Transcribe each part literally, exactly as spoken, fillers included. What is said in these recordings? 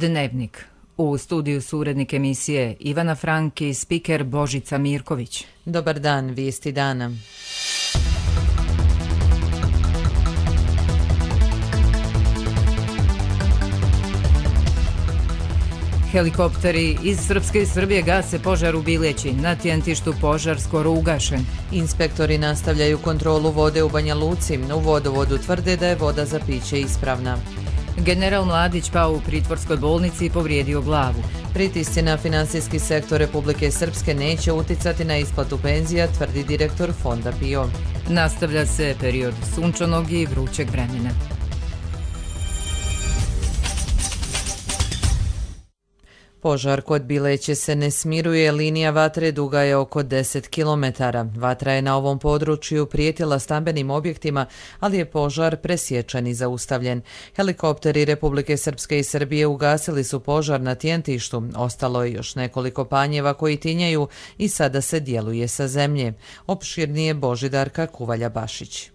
Dnevnik. U studiju su urednik emisije Ivana Frank i spiker Božica Mirković. Dobar dan, vijesti dana. Helikopteri iz Srpske i Srbije gase požar u Bileći. Na Tjentištu požar skoro ugašen. Inspektori nastavljaju kontrolu vode u Banja Luci. U vodovodu tvrde da je voda za piće ispravna. General Mladić pao u pritvorskoj bolnici i povrijedio glavu. Pritisci na finansijski sektor Republike Srpske neće uticati na isplatu penzija, tvrdi direktor Fonda P I O. Nastavlja se period sunčanog i vrućeg vremena. Požar kod Bileće se ne smiruje, linija vatre duga je oko deset kilometara. Vatra je na ovom području prijetila stambenim objektima, ali je požar presječan i zaustavljen. Helikopteri Republike Srpske i Srbije ugasili su požar na Tjentištu. Ostalo je još nekoliko panjeva koji tinjaju i sada se djeluje sa zemlje. Opširnije Božidarka Kuvalja-Bašić.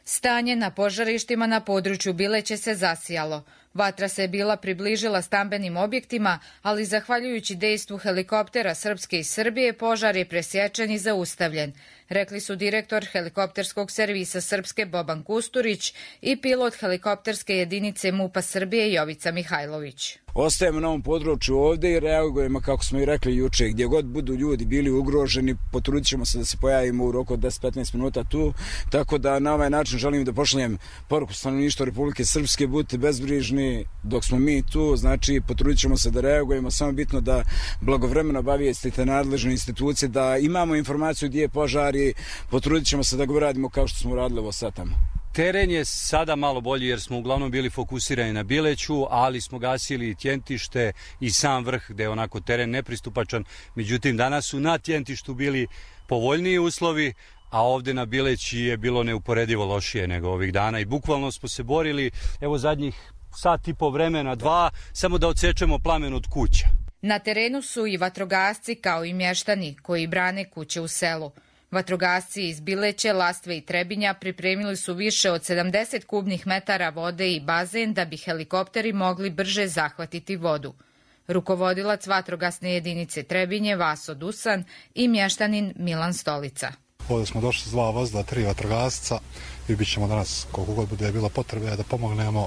Stanje na požarištima na području Bileće se zasijalo. Vatra se bila približila stambenim objektima, ali zahvaljujući dejstvu helikoptera Srpske i Srbije požar je presječen i zaustavljen, rekli su direktor helikopterskog servisa Srpske Boban Kusturić i pilot helikopterske jedinice MUP-a Srbije Jovica Mihajlović. Ostajemo na ovom području ovdje i reagujemo, kako smo i rekli juče, gdje god budu ljudi bili ugroženi, potrudit ćemo se da se pojavimo u roku od deset do petnaest minuta tu, tako da na ovaj način želim da pošaljem poruku stanovništva Republike Srpske, budite bezbrižni dok smo mi tu, znači potrudit ćemo se da reagujemo, samo bitno da blagovremeno obavijestite nadležne institucije, da imamo informaciju gdje je požar i potrudit ćemo se da ga uradimo kao što smo radili ovo sad tamo. Teren je sada malo bolji jer smo uglavnom bili fokusirani na Bileću, ali smo gasili i Tjentište i sam vrh gde je onako teren nepristupačan. Međutim, danas su na Tjentištu bili povoljniji uslovi, a ovdje na Bileći je bilo neuporedivo lošije nego ovih dana i bukvalno smo se borili, evo zadnjih sat i po vremena, dva, samo da odsečemo plamen od kuća. Na terenu su i vatrogasci kao i mještani koji brane kuće u selu. Vatrogasci iz Bileće, Lastve i Trebinja pripremili su više od sedamdeset kubnih metara vode i bazen da bi helikopteri mogli brže zahvatiti vodu. Rukovodilac vatrogasne jedinice Trebinje Vaso Dusan i mještanin Milan Stolica. Ovdje smo došli s dva vozila, tri vatrogasca i bit ćemo danas koliko god bude bilo potrebe da pomognemo.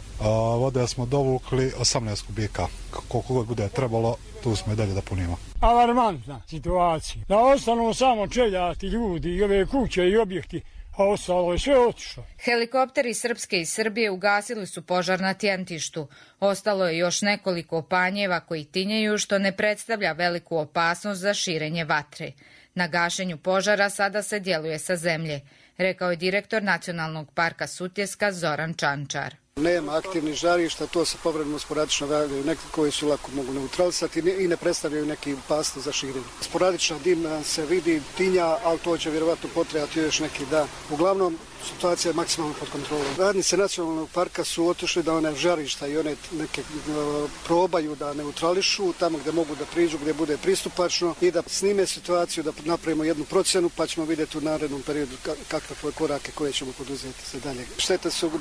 Vode smo dovukli osamnaest kubika, koliko god bude trebalo, tu smo i dalje da punimo. Alarmantna situacija. Da ostanu samo čeljati ljudi i ove kuće i objekti, a ostalo je sve otišlo. Helikopteri Srpske i Srbije ugasili su požar na Tjentištu. Ostalo je još nekoliko panjeva koji tinjaju, što ne predstavlja veliku opasnost za širenje vatre. Na gašenju požara sada se djeluje sa zemlje, rekao je direktor Nacionalnog parka Sutjeska Zoran Čančar. Nema aktivnih žarišta, to se povremeno sporadično javljaju neki koji su lako mogu neutralisati i ne predstavljaju neki opasnost za širenje. Sporadična dimna se vidi, tinja, ali to će vjerovatno potrebati još neki dan. Uglavnom, situacija je maksimalno pod kontrolom. Radnice Nacionalnog parka su otišli da one žarišta i one neke uh, probaju da neutrališu tamo gdje mogu da priđu, gdje bude pristupačno i da snime situaciju, da napravimo jednu procjenu pa ćemo vidjeti u narednom periodu kakve korake koje ćemo poduzeti za dalje. Štete su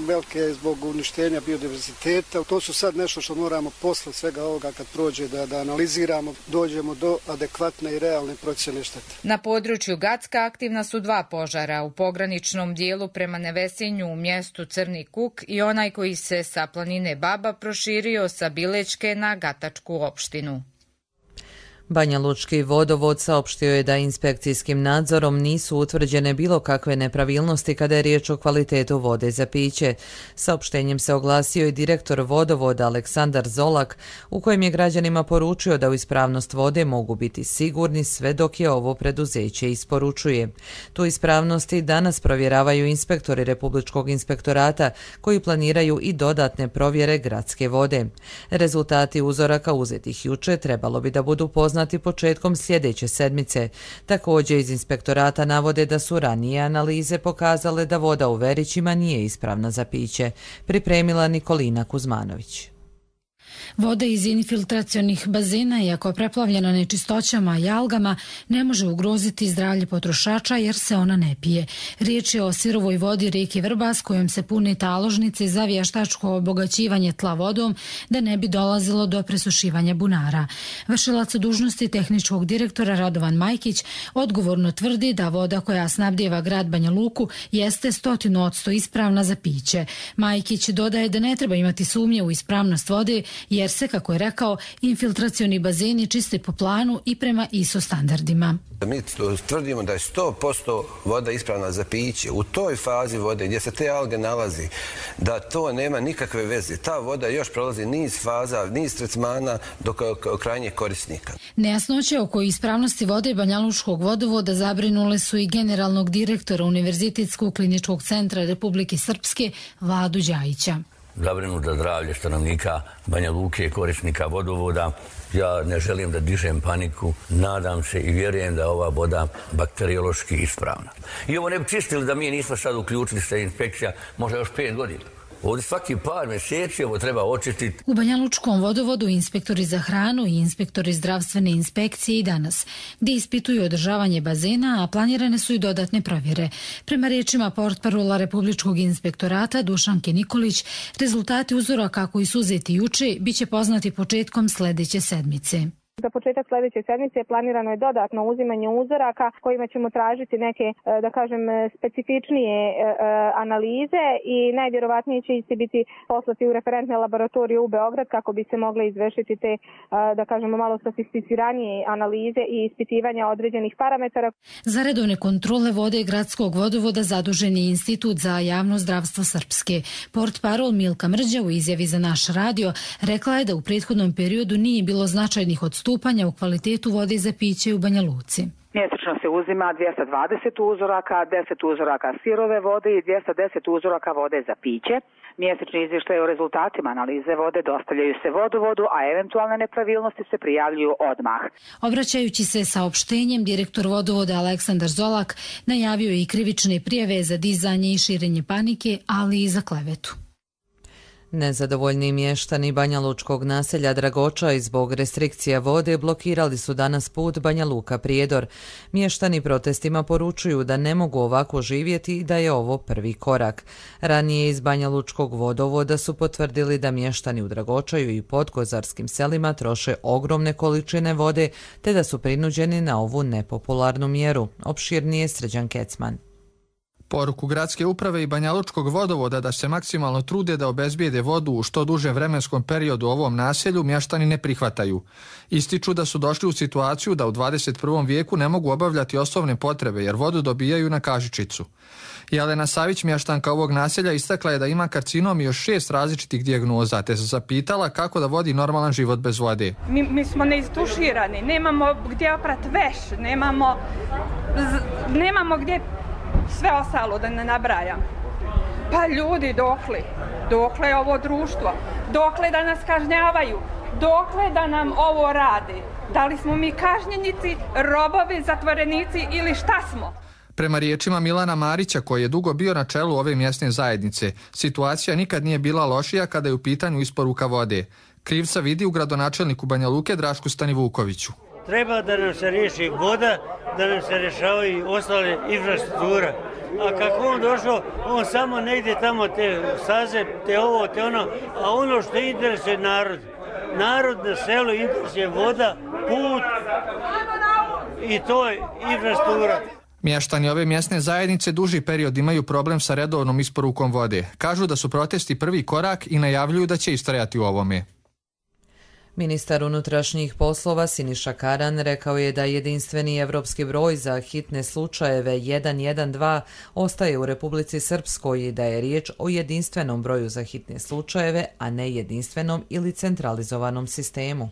velike zbog uništenja biodiverziteta. To su sad nešto što moramo posle svega ovoga kad prođe da, da analiziramo, dođemo do adekvatne i realne procjene štete. Na području Gacka aktivna su dva požara u pograničnom dijelu prema Nevesinju u mjestu Crni Kuk i onaj koji se sa planine Baba proširio sa Bilećke na Gatačku opštinu. Banja Lučki vodovod saopštio je da inspekcijskim nadzorom nisu utvrđene bilo kakve nepravilnosti kada je riječ o kvalitetu vode za piće. Saopštenjem se oglasio i direktor vodovoda Aleksandar Zolak, u kojem je građanima poručio da u ispravnost vode mogu biti sigurni sve dok je ovo preduzeće isporučuje. Tu ispravnosti danas provjeravaju inspektori Republičkog inspektorata koji planiraju i dodatne provjere gradske vode. Rezultati uzoraka uzetih juče trebalo bi da budu poznati početkom sljedeće sedmice. Također iz inspektorata navode da su ranije analize pokazale da voda u Verićima nije ispravna za piće. Pripremila Nikolina Kuzmanović. Voda iz infiltracionih bazena, iako preplavljena nečistoćama i algama, ne može ugroziti zdravlje potrošača jer se ona ne pije. Riječ je o sirovoj vodi rijeke Vrbas kojom se pune taložnice za vještačko obogaćivanje tla vodom da ne bi dolazilo do presušivanja bunara. Vršilac dužnosti tehničkog direktora Radovan Majkić odgovorno tvrdi da voda koja snabdijeva grad Banja Luku jeste stotinu odsto ispravna za piće. Majkić dodaje da ne treba imati sumnje u ispravnost vode jer se, kako je rekao, infiltracioni bazeni čiste po planu i prema I S O standardima. Mi tvrdimo da je sto posto voda ispravna za piće. U toj fazi vode gdje se te alge nalazi, da to nema nikakve veze. Ta voda još prolazi niz faza, niz tretmana do krajnjeg korisnika. Nejasnoće oko ispravnosti vode Banjalučkog vodovoda zabrinule su i generalnog direktora Univerzitetskog kliničkog centra Republike Srpske Vladu Đajića. Zabrinuti za zdravlje stanovnika Banja Luke, korisnika vodovoda. Ja ne želim da dižem paniku, nadam se i vjerujem da je ova voda bakteriološki ispravna. I ovo ne bi čistili da mi nismo sad uključili se inspekcija, možda još pet godina. Ovdje svaki par mjeseci ovo treba očistiti. U Banjalučkom vodovodu inspektori za hranu i inspektori zdravstvene inspekcije i danas, gdje ispituju održavanje bazena, a planirane su i dodatne provjere. Prema riječima portparola Republičkog inspektorata Dušanke Nikolić, rezultati uzoraka koji su uzeti juče biće poznati početkom sljedeće sedmice. Za početak sljedeće sedmice planirano je dodatno uzimanje uzoraka kojima ćemo tražiti neke, da kažem, specifičnije analize i najvjerovatnije će isti biti poslati u referentne laboratorije u Beograd kako bi se mogle izvršiti te, da kažemo, malo sofisticiranije analize i ispitivanja određenih parametara. Za redovne kontrole vode gradskog vodovoda zadužen je Institut za javno zdravstvo Srpske. Portparol Milka Mrđa u izjavi za naš radio rekla je da u prethodnom periodu nije bilo značajnih odstupanja u kvalitetu vode za piće u Banja Luci. Mjesečno se uzima dvjesto dvadeset uzoraka, deset uzoraka sirove vode i dvjesto deset uzoraka vode za piće. Mjesečni izvještaj o rezultatima analize vode dostavljaju se vodovodu, a eventualne nepravilnosti se prijavljuju odmah. Obraćajući se saopštenjem, direktor vodovoda Aleksandar Zolak najavio i krivične prijave za dizanje i širenje panike, ali i za klevetu. Nezadovoljni mještani banjalučkog naselja Dragoča i zbog restrikcija vode blokirali su danas put Banja Luka Prijedor. Mještani protestima poručuju da ne mogu ovako živjeti i da je ovo prvi korak. Ranije iz banjalučkog vodovoda su potvrdili da mještani u Dragočaju i podkozarskim selima troše ogromne količine vode te da su prinuđeni na ovu nepopularnu mjeru. Opširnije Srđan Kecman. Poruku gradske uprave i Banjalučkog vodovoda da se maksimalno trude da obezbijede vodu u što dužem vremenskom periodu u ovom naselju mještani ne prihvataju. Ističu da su došli u situaciju da u dvadeset prvom vijeku ne mogu obavljati osnovne potrebe jer vodu dobijaju na kažičicu. Jelena Savić, mještanka ovog naselja, istakla je da ima karcinom i još šest različitih dijagnoza, te se zapitala kako da vodi normalan život bez vode. Mi, mi smo neistuširani, nemamo gdje oprati veš, nemamo, z, nemamo gdje sve ostalo da ne nabrajam. Pa ljudi, dokle? Dokle je ovo društvo? Dokle da nas kažnjavaju? Dokle da nam ovo radi? Da li smo mi kažnjenici, robovi, zatvorenici ili šta smo? Prema riječima Milana Marića, koji je dugo bio na čelu ove mjesne zajednice, situacija nikad nije bila lošija kada je u pitanju isporuka vode. Krivca vidi u gradonačelniku Banja Luke Drašku Stanivukoviću. Treba da nam se riješi voda, da nam se rješavaju i ostale infrastruktura. A kako on došao, on samo negdje tamo te staze, te ovo, te ono, a ono što interesuje narod. Narod na selu interesuje voda, put i to je infrastruktura. Mještani ove mjesne zajednice duži period imaju problem sa redovnom isporukom vode. Kažu da su protesti prvi korak i najavljuju da će istrajati u ovome. Ministar unutrašnjih poslova Siniša Karan rekao je da jedinstveni evropski broj za hitne slučajeve jedan jedan dva ostaje u Republici Srpskoj i da je riječ o jedinstvenom broju za hitne slučajeve, a ne jedinstvenom ili centralizovanom sistemu.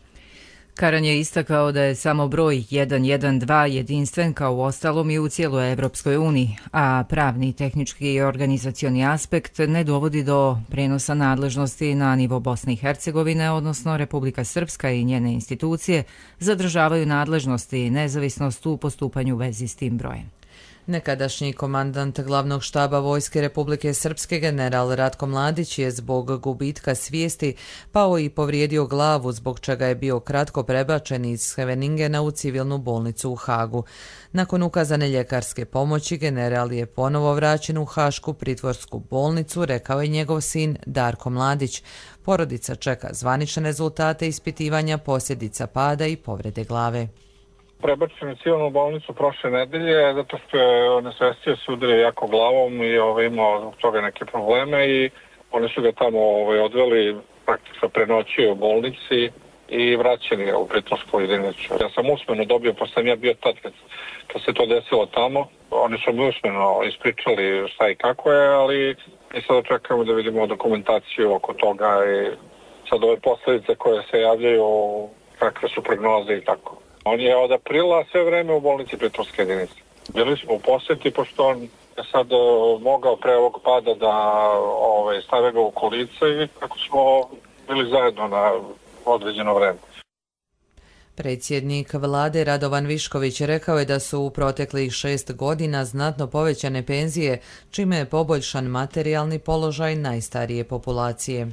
Karan je istakao da je samo broj jedan jedan dva jedinstven kao u ostalom i u cijeloj Evropskoj uniji, a pravni, tehnički i organizacioni aspekt ne dovodi do prenosa nadležnosti na nivo Bosne i Hercegovine, odnosno Republika Srpska i njene institucije zadržavaju nadležnosti i nezavisnost u postupanju u vezi s tim brojem. Nekadašnji komandant glavnog štaba Vojske Republike Srpske general Ratko Mladić je zbog gubitka svijesti pao i povrijedio glavu, zbog čega je bio kratko prebačen iz Scheveningena u civilnu bolnicu u Hagu. Nakon ukazane ljekarske pomoći general je ponovo vraćen u Hašku pritvorsku bolnicu, rekao je njegov sin Darko Mladić. Porodica čeka zvanične rezultate ispitivanja posljedica pada i povrede glave. Prebačen u civilnu bolnicu prošle nedelje zato što je nesvestio se udario jako glavom i ovaj, imao zbog toga neke probleme i oni su ga tamo ovaj, odveli, praktično prenoćio u bolnici i vraćen je u pritvorsku jedinicu. Ja sam usmeno dobio, pošto sam ja bio tad kad, kad se to desilo tamo, oni su mi usmeno ispričali šta i kako je, ali mi sada čekamo da vidimo dokumentaciju oko toga i sad ove posljedice koje se javljaju, kakve su prognoze i tako. On je od aprila sve vreme u bolnici pritvorske jedinice. Bili smo u posjeti, pošto on je sad mogao pre ovog pada da ove, stave ga u kolice i kako smo bili zajedno na određeno vreme. Predsjednik vlade Radovan Višković rekao je da su u proteklih šest godina znatno povećane penzije, čime je poboljšan materijalni položaj najstarije populacije.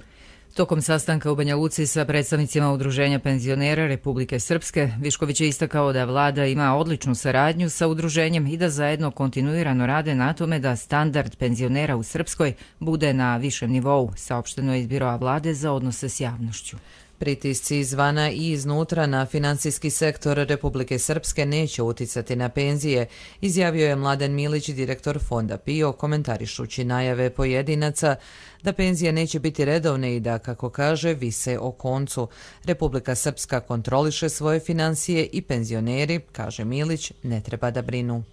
Tokom sastanka u Banja Luci sa predstavnicima Udruženja penzionera Republike Srpske, Višković je istakao da vlada ima odličnu saradnju sa udruženjem i da zajedno kontinuirano rade na tome da standard penzionera u Srpskoj bude na višem nivou, saopšteno je iz Biroa vlade za odnose s javnošću. Pritisci izvana i iznutra na finansijski sektor Republike Srpske neće uticati na penzije, izjavio je Mladen Milić, direktor fonda P I O, komentarišući najave pojedinaca da penzije neće biti redovne i da, kako kaže, vise o koncu. Republika Srpska kontroliše svoje financije i penzioneri, kaže Milić, ne treba da brinu.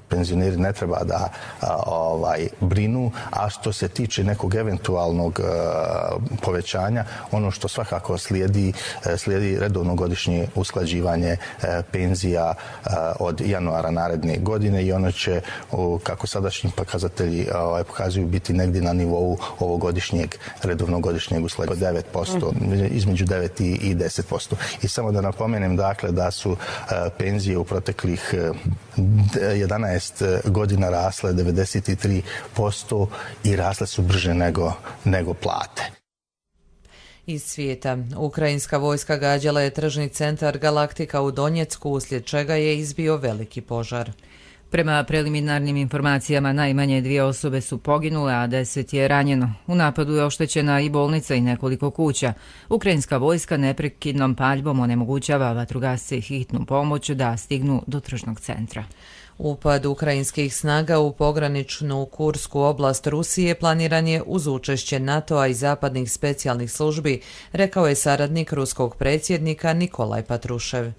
Penzioneri ne treba da a, ovaj, brinu, a što se tiče nekog eventualnog a, povećanja, ono što svakako slijedi, a, slijedi redovno godišnje usklađivanje a, penzija a, od januara naredne godine i ono će, o, kako sadašnji pokazatelji a, ovaj, pokazuju, biti negdje na nivou ovogodišnjeg redovnog godišnjeg usklađivanja devet posto, između devet i deset posto. I samo da napomenem dakle da su a, penzije u proteklih jedanaest godina rasle devedeset tri posto i rasle su brže nego, nego plate. Iz svijeta. Ukrajinska vojska gađala je tržni centar Galaktika u Donjecku, uslijed čega je izbio veliki požar. Prema preliminarnim informacijama najmanje dvije osobe su poginule, a deset je ranjeno. U napadu je oštećena i bolnica i nekoliko kuća. Ukrajinska vojska neprekidnom paljbom onemogućava vatrogasce i hitnu pomoć da stignu do tržnog centra. Upad ukrajinskih snaga u pograničnu Kursku oblast Rusije planiran je uz učešće NATO-a i zapadnih specijalnih službi, rekao je saradnik ruskog predsjednika Nikolaj Patrušev.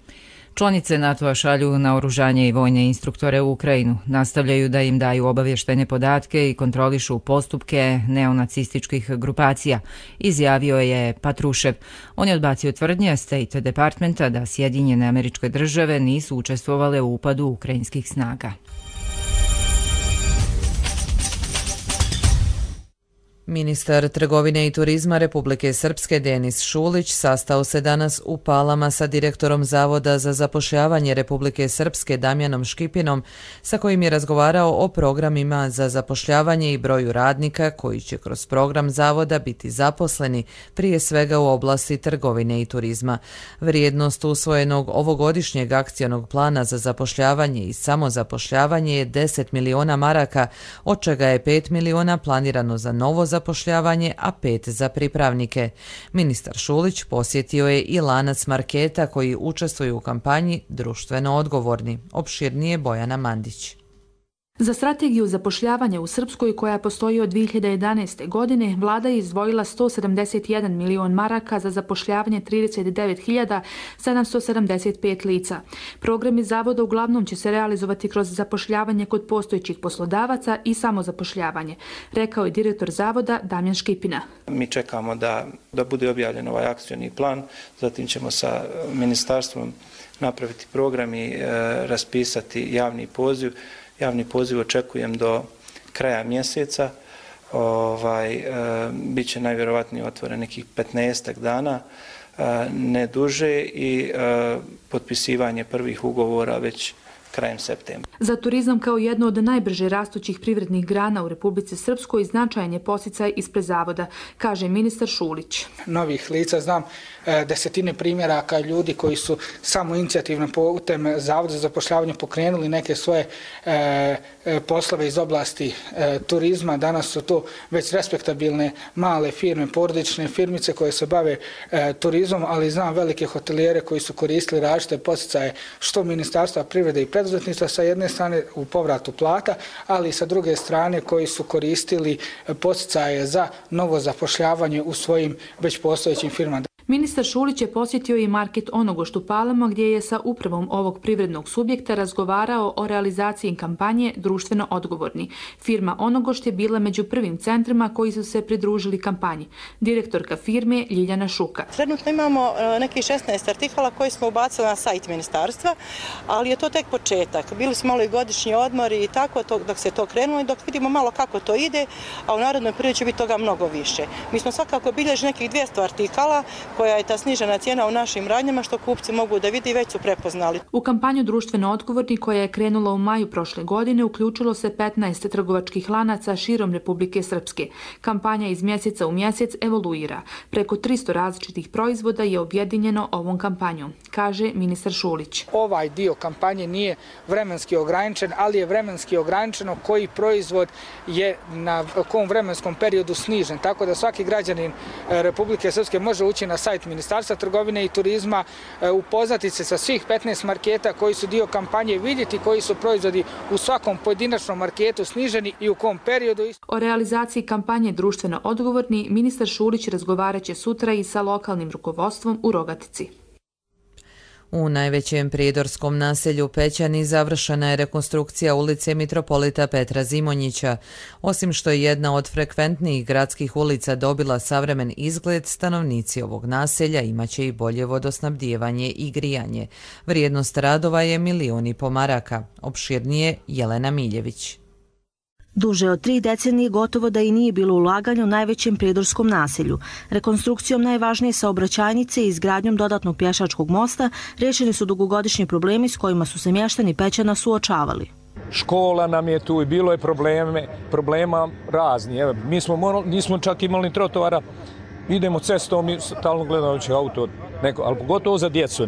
Članice NATO-a šalju naoružanje i vojne instruktore u Ukrajinu, nastavljaju da im daju obavještajne podatke i kontrolišu postupke neonacističkih grupacija, izjavio je Patrušev. On je odbacio tvrdnje State Departmenta da Sjedinjene Američke Države nisu učestvovale u upadu ukrajinskih snaga. Ministar trgovine i turizma Republike Srpske Denis Šulić sastao se danas u Palama sa direktorom Zavoda za zapošljavanje Republike Srpske Damjanom Škipinom, sa kojim je razgovarao o programima za zapošljavanje i broju radnika koji će kroz program Zavoda biti zaposleni, prije svega u oblasti trgovine i turizma. Vrijednost usvojenog ovogodišnjeg akcionog plana za zapošljavanje i samozapošljavanje je deset miliona maraka, od čega je pet miliona planirano za novo zapošljavanje, a pet za pripravnike. Ministar Šulić posjetio je i lanac marketa koji učestvuju u kampanji Društveno odgovorni. Opširnije Bojana Mandić. Za strategiju zapošljavanja u Srpskoj, koja postoji od dvije hiljade jedanaeste. godine, vlada je izdvojila sto sedamdeset jedan milion maraka za zapošljavanje trideset devet hiljada sedamsto sedamdeset pet lica. Programi zavoda uglavnom će se realizovati kroz zapošljavanje kod postojećih poslodavaca i samozapošljavanje, rekao je direktor zavoda Damjan Škipina. Mi čekamo da, da bude objavljen ovaj akcioni plan, zatim ćemo sa ministarstvom napraviti program i e, raspisati javni poziv. Javni poziv očekujem do kraja mjeseca, ovaj, e, bit će najvjerovatnije otvoren nekih petnaestak dana, e, ne duže i e, potpisivanje prvih ugovora već krajem septembra. Za turizam kao jedno od najbrže rastućih privrednih grana u Republici Srpskoj značajan je podsticaj ispred zavoda, kaže ministar Šulić. Novih lica znam e, desetine primjeraka ljudi koji su samo inicijativno putem Zavoda za zapošljavanje pokrenuli neke svoje e, e, poslove iz oblasti e, turizma. Danas su to već respektabilne male firme, porodične firmice koje se bave e, turizmom, ali znam velike hotelijere koji su koristili različite podsticaje što Ministarstva privrede i preduzetništva sa jedne strane u povratu plata, ali i sa druge strane koji su koristili podsticaje za novo zapošljavanje u svojim već postojećim firmama. Ministar Šulić je posjetio i market Onogošt u Palama gdje je sa upravom ovog privrednog subjekta razgovarao o realizaciji kampanje Društveno odgovorni. Firma Onogošt je bila među prvim centrima koji su se pridružili kampanji. Direktorka firme Ljiljana Šuka. Trenutno imamo neki šesnaest artikala koji smo ubacili na sajt ministarstva, ali je to tek početak. Bili smo malo i godišnji odmori i tako dok se to krenulo i dok vidimo malo kako to ide, a u narednoj periodu će biti toga mnogo više. Mi smo svakako bilježili nekih dvjesto artikala koja je ta snižena cijena u našim radnjama što kupci mogu da vidi i već su prepoznali. U kampanju Društveno odgovorni koja je krenula u maju prošle godine uključilo se petnaest trgovačkih lanaca širom Republike Srpske. Kampanja iz mjeseca u mjesec evoluira. Preko tristo različitih proizvoda je objedinjeno ovom kampanjom, kaže ministar Šulić. Ovaj dio kampanje nije vremenski ograničen, ali je vremenski ograničeno koji proizvod je na kom vremenskom periodu snižen. Tako da svaki građanin Republike Srpske može ući na sajt Ministarstva trgovine i turizma, upoznati se sa svih petnaest marketa koji su dio kampanje, vidjeti koji su proizvodi u svakom pojedinačnom marketu sniženi i u kom periodu. O realizaciji kampanje Društveno odgovorni ministar Šulić razgovarat će sutra i sa lokalnim rukovodstvom u Rogatici. U najvećem prijedorskom naselju Pećani završena je rekonstrukcija ulice Mitropolita Petra Zimonjića. Osim što je jedna od frekventnijih gradskih ulica dobila savremen izgled, stanovnici ovog naselja imaće i bolje vodosnabdijevanje i grijanje. Vrijednost radova je milion i po maraka. Opširnije Jelena Miljević. Duže od tri decenije gotovo da i nije bilo ulaganja u najvećem prijedorskom naselju. Rekonstrukcijom najvažnije saobraćajnice i izgradnjom dodatnog pješačkog mosta riješeni su dugogodišnji problemi s kojima su se mještani Pećana suočavali. Škola nam je tu i bilo je probleme, problema razni. Evo, mi smo morali, nismo čak imali trotoara, idemo cestom i stalno gledajući auto, neko, ali pogotovo za djecu.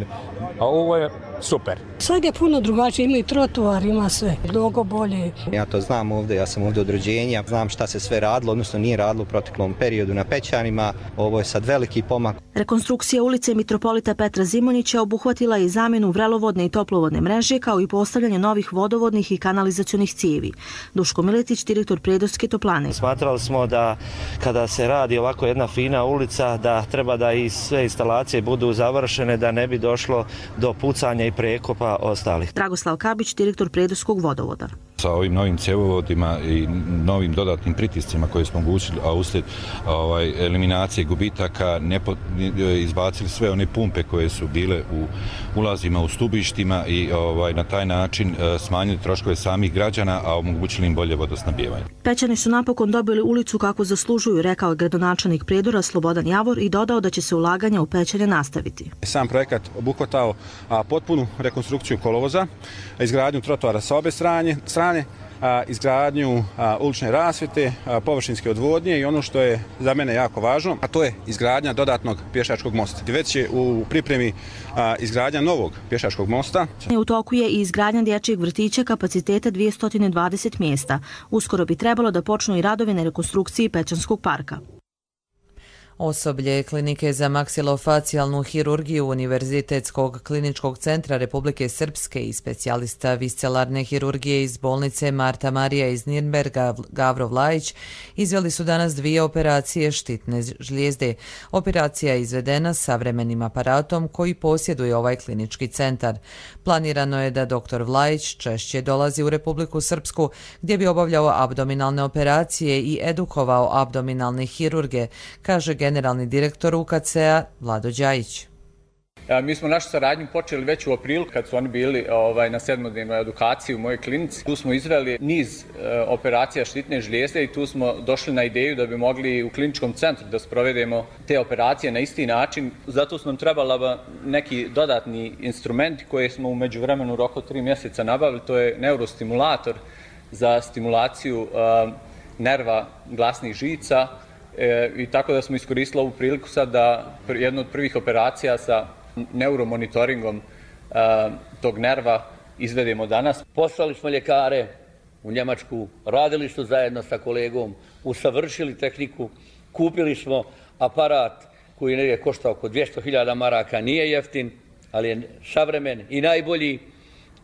A ovo je super. Sad je puno drugačije, ima i trotoar, ima sve, mnogo bolje. Ja to znam ovdje, ja sam ovdje od rođenja, znam šta se sve radilo, odnosno nije radilo u proteklom periodu na Pećanima, ovo je sad veliki pomak. Rekonstrukcija ulice Mitropolita Petra Zimonjića obuhvatila je zamjenu vrelovodne i toplovodne mreže kao i postavljanje novih vodovodnih i kanalizacionih cijevi. Duško Miletić, direktor Prijedorske toplane. Smatrali smo da kada se radi ovako jedna fina ulica, da treba da i sve instalacije budu završene, da ne bi došlo do pucanja i prekopa ostalih. Dragoslav Kabić, direktor Prijedorskog vodovoda. Sa ovim novim cjevovodima i novim dodatnim pritiscima koje smo omogućili, a uslijed ovaj, eliminacije gubitaka nepo, izbacili sve one pumpe koje su bile u ulazima u stubištima i ovaj, na taj način smanjili troškove samih građana, a omogućili im bolje vodosnabdijevanje. Pećani su napokon dobili ulicu kako zaslužuju, rekao je gradonačelnik Prijedora Slobodan Javor i dodao da će se ulaganja u Pećane nastaviti. Sam projekat obuhvatao a, potpunu rekonstrukciju kolovoza, izgradnju trotoara sa obe strane, strane a, izgradnju a, ulične rasvjete, a, površinske odvodnje i ono što je za mene jako važno, a to je izgradnja dodatnog pješačkog mosta. Već je u pripremi a, izgradnja novog pješačkog mosta. U toku je i izgradnja dječjeg vrtića kapaciteta dvjesto dvadeset mjesta. Uskoro bi trebalo da počnu i radovi na rekonstrukciji Pećanskog parka. Osoblje Klinike za maksilofacijalnu hirurgiju Univerzitetskog kliničkog centra Republike Srpske i specijalista viscelarne hirurgije iz bolnice Marta Marija iz Nirnberga Gavro Vlajić izveli su danas dvije operacije štitne žlijezde. Operacija je izvedena savremenim aparatom koji posjeduje ovaj klinički centar. Planirano je da doktor Vlajić češće dolazi u Republiku Srpsku gdje bi obavljao abdominalne operacije i edukovao abdominalne hirurge, kaže generalni direktor U K C-a Vlado Đajić. Mi smo našu saradnju počeli već u aprilu kad su oni bili ovaj, na sedmodnevnoj edukaciji u mojoj klinici. Tu smo izveli niz e, operacija štitne žlijezde i tu smo došli na ideju da bi mogli u kliničkom centru da sprovedemo te operacije na isti način. Zato su nam trebala neki dodatni instrumenti koje smo u međuvremenu u roku tri mjeseca nabavili. To je neurostimulator za stimulaciju e, nerva glasnih žica e, i tako da smo iskoristili ovu priliku sad da jednu od prvih operacija sa neuromonitoringom uh, tog nerva izvedemo danas. Poslali smo ljekare u Njemačku, radili su zajedno sa kolegom, usavršili tehniku, kupili smo aparat koji je koštao oko dvjesto hiljada maraka, nije jeftin, ali je savremen i najbolji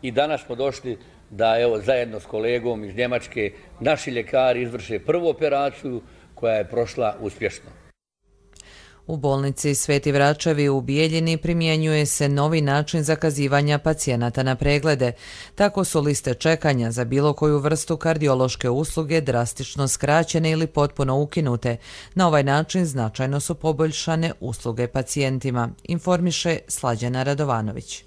i danas smo došli da evo zajedno s kolegom iz Njemačke naši ljekari izvrše prvu operaciju koja je prošla uspješno. U bolnici Sveti Vračevi u Bijeljini primjenjuje se novi način zakazivanja pacijenata na preglede. Tako su liste čekanja za bilo koju vrstu kardiološke usluge drastično skraćene ili potpuno ukinute. Na ovaj način značajno su poboljšane usluge pacijentima, informiše Slađana Radovanović.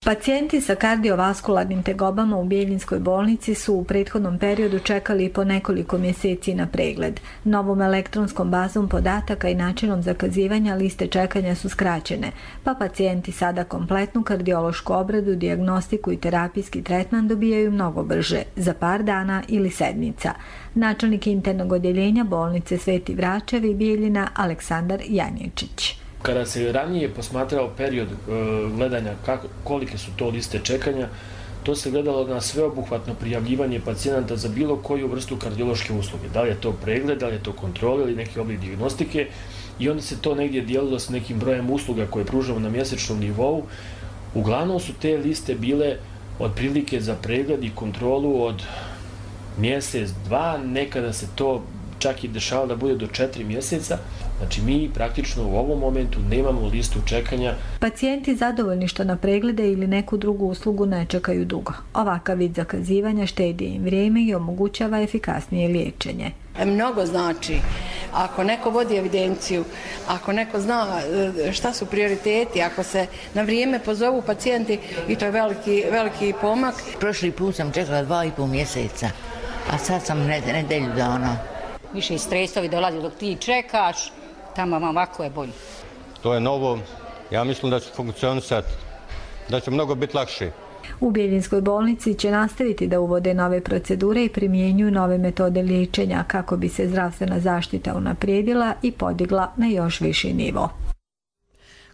Pacijenti sa kardiovaskularnim tegobama u Bijeljinskoj bolnici su u prethodnom periodu čekali po nekoliko mjeseci na pregled. Novom elektronskom bazom podataka i načinom zakazivanja liste čekanja su skraćene, pa pacijenti sada kompletnu kardiološku obradu, dijagnostiku i terapijski tretman dobijaju mnogo brže, za par dana ili sedmica. Načelnik internog odjeljenja bolnice Sveti Vračevi Bijeljina Aleksandar Janječić. Kada se ranije posmatrao period e, gledanja kako, kolike su to liste čekanja, to se gledalo na sveobuhvatno prijavljivanje pacijenata za bilo koju vrstu kardiološke usluge. Da li je to pregled, da li je to kontrola ili neki oblik dijagnostike i onda se to negdje dijelilo s nekim brojem usluga koje pružamo na mjesečnom nivou. Uglavnom su te liste bile otprilike za pregled i kontrolu od mjesec, dva, nekada se to čak i dešava da bude do četiri mjeseca. Znači mi praktično u ovom momentu nemamo listu čekanja. Pacijenti zadovoljni što na preglede ili neku drugu uslugu ne čekaju dugo. Ovakav vid zakazivanja štedi im vrijeme i omogućava efikasnije liječenje. Mnogo znači. Ako neko vodi evidenciju, ako neko zna šta su prioriteti, ako se na vrijeme pozovu pacijenti, i to je veliki, veliki pomak. Prošli put sam čekala dva i pol mjeseca, a sad sam nedelju dana. Više stresovi dolazi dok ti čekaš, tamo ovako je bolje. To je novo, ja mislim da će funkcionisati, da će mnogo biti lakše. U Bijeljinskoj bolnici će nastaviti da uvode nove procedure i primjenjuju nove metode liječenja kako bi se zdravstvena zaštita unaprijedila i podigla na još viši nivo.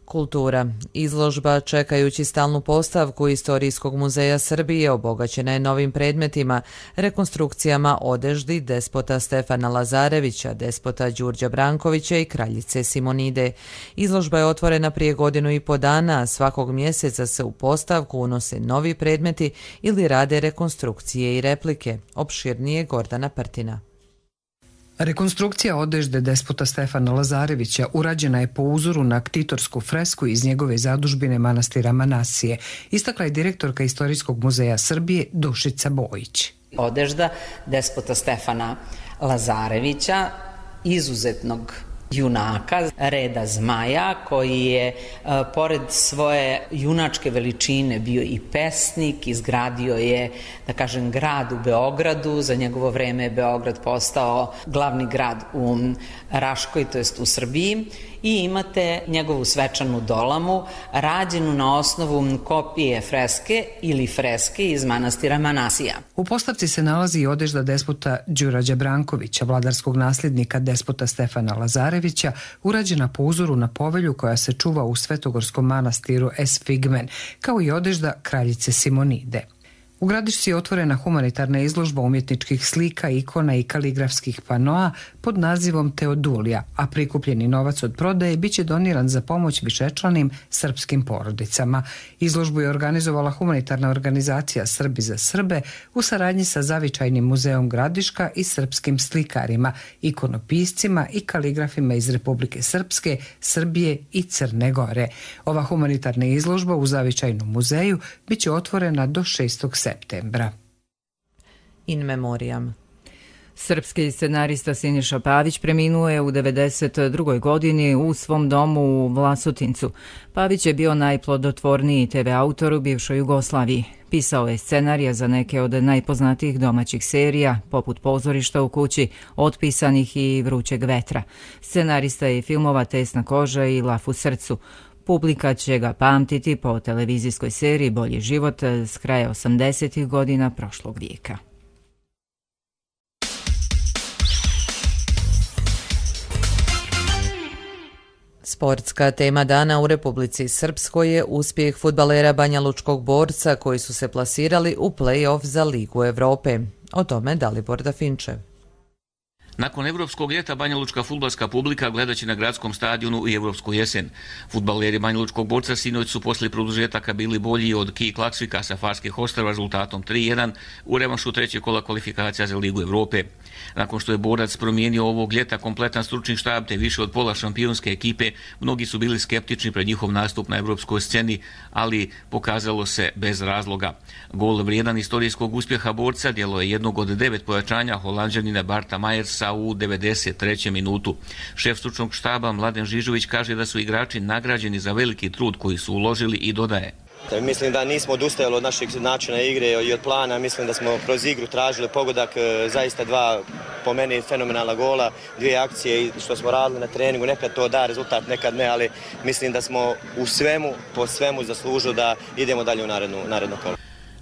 Kultura. Izložba čekajući stalnu postavku Istorijskog muzeja Srbije obogaćena je novim predmetima, rekonstrukcijama odeždi despota Stefana Lazarevića, despota Đurđa Brankovića i kraljice Simonide. Izložba je otvorena prije godinu i po dana, a svakog mjeseca se u postavku unose novi predmeti ili rade rekonstrukcije i replike. Opširnije Gordana Prtina. Rekonstrukcija odežde despota Stefana Lazarevića urađena je po uzoru na ktitorsku fresku iz njegove zadužbine manastira Manasije, istakla je direktorka Istorijskog muzeja Srbije Dušica Bojić. Odežda despota Stefana Lazarevića, izuzetnog junaka reda Zmaja, koji je pored svoje junačke veličine bio i pesnik, izgradio je, da kažem, grad u Beogradu. Za njegovo vreme je Beograd postao glavni grad u Raškoj, to jest u Srbiji, i imate njegovu svečanu dolamu rađenu na osnovu kopije freske ili freske iz manastira Manasija. U postavci se nalazi i odežda despota Đurađa Brankovića, vladarskog nasljednika despota Stefana Lazarevića, urađena po uzoru na povelju koja se čuva u Svetogorskom manastiru Esfigmen, kao i odežda kraljice Simonide. U Gradišci je otvorena humanitarna izložba umjetničkih slika, ikona i kaligrafskih panoa pod nazivom Teodulija, a prikupljeni novac od prodaje biće doniran za pomoć višečlanim srpskim porodicama. Izložbu je organizovala humanitarna organizacija Srbi za Srbe u saradnji sa Zavičajnim muzeom Gradiška i srpskim slikarima, ikonopiscima i kaligrafima iz Republike Srpske, Srbije i Crne Gore. Ova humanitarna izložba u Zavičajnom muzeju biće otvorena do šestog septembra. In memoriam. Srpski scenarista Siniša Pavić preminuo je u devedeset drugoj godini u svom domu u Vlasotincu. Pavić je bio najplodotvorniji te ve autor u bivšoj Jugoslaviji. Pisao je scenarija za neke od najpoznatijih domaćih serija, poput Pozorišta u kući, Otpisanih i Vrućeg vetra. Scenarista je filmova Tesna koža i Laf u srcu. Publika će ga pamtiti po televizijskoj seriji Bolji život s kraja osamdesetih godina prošlog vijeka. Sportska tema dana u Republici Srpskoj je uspjeh fudbalera Banjalučkog Borca koji su se plasirali u play-off za Ligu Evrope. O tome Dalibor Dafinčev. Nakon evropskog ljeta Banjalučka fudbalska publika gledat će na gradskom stadionu i evropsku jesen. Fudbaleri Banjalučkog Borca sinoć su poslije produžetaka bili bolji od Ki Klaksvika sa Farskih Ostrva rezultatom tri jedan u revanšu trećeg kola kvalifikacija za Ligu Evrope. Nakon što je Borac promijenio ovog ljeta kompletan stručni štab te više od pola šampionske ekipe, mnogi su bili skeptični pred njihov nastup na evropskoj sceni, ali pokazalo se bez razloga. Gol vrijedan istorijskog uspjeha Borca djelo je jednog od devet pojačanja Holanđanina Barta Majersa u devedeset trećem minutu. Šef stručnog štaba Mladen Žižović kaže da su igrači nagrađeni za veliki trud koji su uložili i dodaje: Mislim da nismo odustajali od našeg načina igre i od plana, mislim da smo kroz igru tražili pogodak, zaista dva po meni fenomenalna gola, dvije akcije i što smo radili na treningu, nekad to da rezultat, nekad ne, ali mislim da smo u svemu, po svemu zaslužili da idemo dalje u narednu, naredno kolo.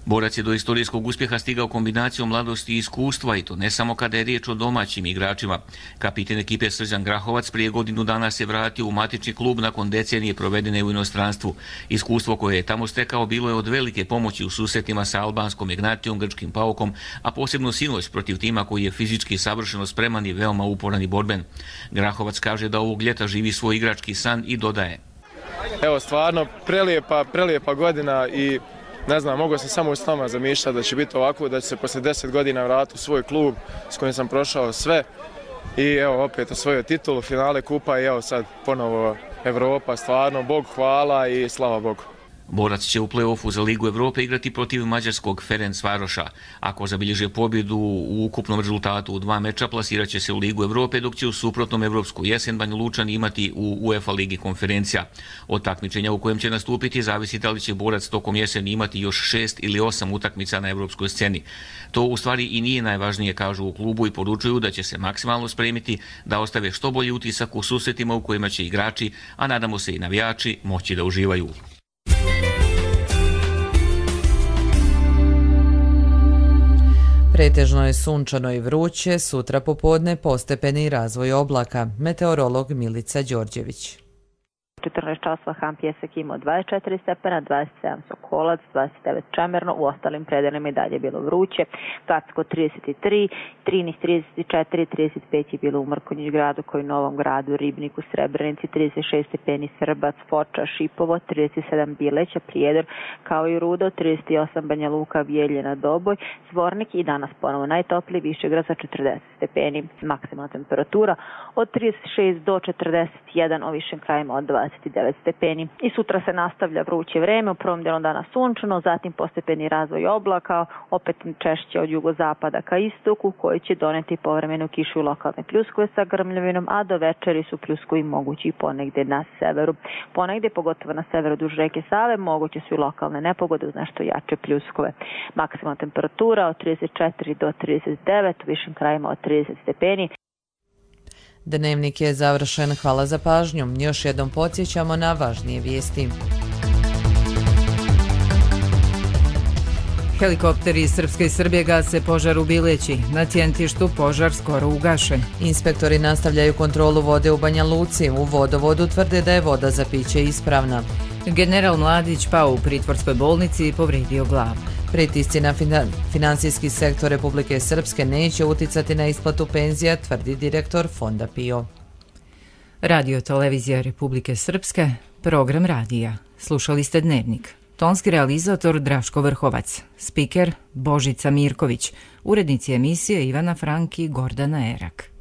Borac je do istorijskog uspjeha stigao kombinacijom mladosti i iskustva i to ne samo kada je riječ o domaćim igračima. Kapiten ekipe Srđan Grahovac prije godinu dana se vratio u matični klub nakon decenije provedene u inostranstvu. Iskustvo koje je tamo stekao bilo je od velike pomoći u susretima sa albanskom Ignatijom, grčkim Paukom, a posebno sinoć protiv tima koji je fizički savršeno spreman i veoma uporan i borben. Grahovac kaže da ovog ljeta živi svoj igrački san i dodaje: Evo, stvarno prelijepa, prelijepa godina i ne znam, mogu sam samo u snama zamišljati da će biti ovako, da će se poslije deset godina vratiti u svoj klub s kojim sam prošao sve i evo opet osvojio titulu, finale kupa i evo sad ponovo Evropa, stvarno, Bog hvala i slava Bogu. Borac će u play-offu za Ligu Evrope igrati protiv mađarskog Ferencvaroša. Ako zabilježe pobjedu u ukupnom rezultatu u dva meča, plasirat će se u Ligu Evrope, dok će u suprotnom evropsku jesen Banjalučani imati u UEFA Ligi konferencija. Od takmičenja u kojem će nastupiti zavisi da li će Borac tokom jeseni imati još šest ili osam utakmica na evropskoj sceni. To u stvari i nije najvažnije, kažu u klubu, i poručuju da će se maksimalno spremiti da ostave što bolji utisak u susretima u kojima će igrači, a nadamo se i navijači, moći da uživaju. Pretežno je sunčano i vruće, sutra popodne postepeni razvoj oblaka. Meteorolog Milica Đorđević. četrnaest časova Han Pjesak imao dvadeset četiri stepena, dvadeset sedam Sokolac, dvadeset devet Čemerno, u ostalim predelima i dalje bilo vruće. Gacko trideset tri, Trinih trideset četiri, trideset pet je bilo u Mrkonjić gradu, koji Novom gradu, Ribniku, Srebrenici, trideset šest stepeni Srbac, Foča, Šipovo, trideset sedam Bileća, Prijedor, kao i Rudo, trideset osam Banja Luka, Bijeljina, Doboj, Zvornik i danas ponovo najtopliji Višegrad sa četrdeset stepeni. Maksimalna temperatura od trideset šest do četrdeset jedan, o višim krajima od dvadeset devet stepeni. I sutra se nastavlja vruće vreme, u prvom dijelu dana sunčano, zatim postepeni razvoj oblaka, opet češće od jugozapada ka istoku, koji će doneti povremenu kišu i lokalne pljuskove sa grmljavinom, a do večeri su pljuskovi mogući i ponegde na severu. Ponegde, pogotovo na severu duž reke Save, moguće su i lokalne nepogode uz nešto jače pljuskove. Maksimalna temperatura od trideset četiri do trideset devet, u višim krajima od trideset stepeni. Dnevnik je završen. Hvala za pažnju. Još jednom podsjećamo na važnije vijesti. Helikopteri iz Srpske i Srbije gase požar u Bileći. Na Tjentištu požar skoro ugašen. Inspektori nastavljaju kontrolu vode u Banja Luci. U vodovodu tvrde da je voda za piće ispravna. General Mladić pao u pritvorskoj bolnici i povrijedio glavu. Pritisci na finansijski sektor Republike Srpske neće uticati na isplatu penzija, tvrdi direktor Fonda PIO. Radio televizija Republike Srpske, program radija. Slušali ste Dnevnik. Tonski realizator Draško Vrhovac, spiker Božica Mirković, urednici emisije Ivana Franki i Gordana Erak.